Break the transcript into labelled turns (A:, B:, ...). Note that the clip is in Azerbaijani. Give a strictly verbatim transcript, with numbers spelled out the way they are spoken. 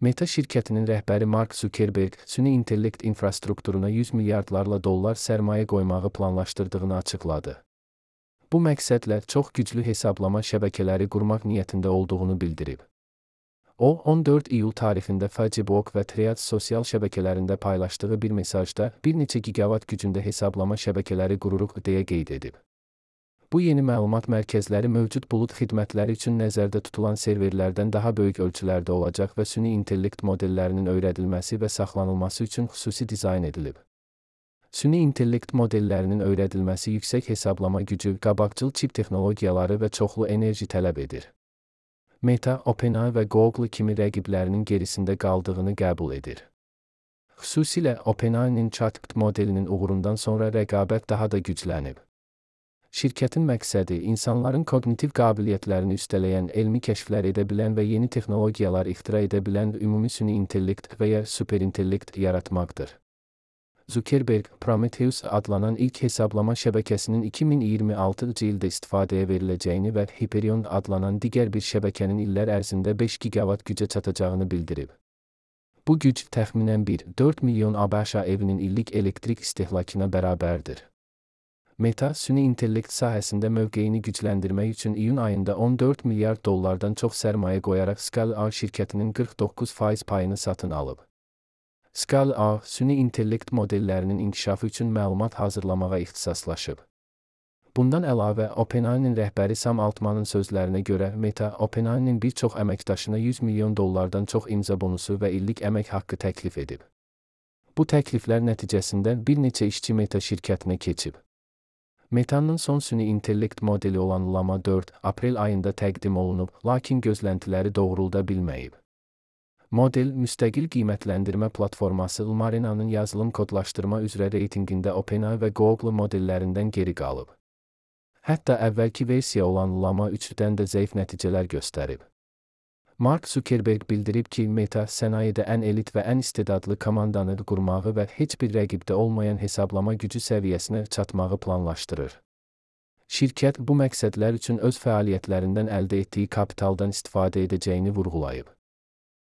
A: Meta şirkətinin rəhbəri Mark Zuckerberg, süni intellekt infrastrukturuna yüz milyardlarla dollar sərmayə qoymağı planlaşdırdığını açıqladı. Bu məqsədlə çox güclü hesablama şəbəkələri qurmaq niyyətində olduğunu bildirib. O, on dörd iyul tarixində Facebook və Threads sosial şəbəkələrində paylaşdığı bir mesajda bir neçə gigavat gücündə hesablama şəbəkələri qururuq deyə qeyd edib. Bu yeni məlumat mərkəzləri mövcud bulud xidmətləri üçün nəzərdə tutulan serverlərdən daha böyük ölçülərdə olacaq və süni intellekt modellərinin öyrədilməsi və saxlanılması üçün xüsusi dizayn edilib. Süni intellekt modellərinin öyrədilməsi yüksək hesablama gücü, qabaqcıl çip texnologiyaları və çoxlu enerji tələb edir. Meta, OpenAI və Google kimi rəqiblərinin gerisində qaldığını qəbul edir. Xüsusilə OpenAI-nin ChatGPT modelinin uğurundan sonra rəqabət daha da güclənib. Şirkətin məqsədi insanların koqnitiv qabiliyyətlərini üstələyən, elmi kəşflər edə bilən və yeni texnologiyalar ixtira edə bilən ümumi süni intellekt və ya superintellekt yaratmaqdır. Zuckerberg, Prometheus adlanan ilk hesablama şəbəkəsinin iki min iyirmi altıncı ildə istifadəyə veriləcəyini və Hyperion adlanan digər bir şəbəkənin illər ərzində beş gigavat gücə çatacağını bildirib. Bu güc təxminən bir nöqtə dörd milyon ABŞ evinin illik elektrik istehlakına bərabərdir. Meta, süni intellekt sahəsində mövqeyini gücləndirmək üçün iyun ayında on dörd milyard dollardan çox sərmayə qoyaraq Scale-A şirkətinin qırx doqquz faiz payını satın alıb. Scale-A, süni intellekt modellərinin inkişafı üçün məlumat hazırlamağa ixtisaslaşıb. Bundan əlavə, OpenAI-nin rəhbəri Sam Altmanın sözlərinə görə, Meta, OpenAI-nin bir çox əməkdaşına yüz milyon dollardan çox imza bonusu və illik əmək haqqı təklif edib. Bu təkliflər nəticəsində bir neçə işçi Meta şirkətinə keçib. Meta'nın son süni intellekt modeli olan Llama dörd aprel ayında təqdim olunub, lakin gözləntiləri doğrulda bilməyib. Model, müstəqil qiymətləndirmə platforması Llama-Rena'nın yazılım kodlaşdırma üzrə reytinqində OpenAI və Google modellərindən geri qalıb. Hətta əvvəlki versiya olan Llama üçdən də zəif nəticələr göstərib. Mark Zuckerberg bildirib ki, Meta sənayedə ən elit və ən istedadlı komandanı qurmağı və heç bir rəqibdə olmayan hesablama gücü səviyyəsinə çatmağı planlaşdırır. Şirkət bu məqsədlər üçün öz fəaliyyətlərindən əldə etdiyi kapitaldan istifadə edəcəyini vurğulayıb.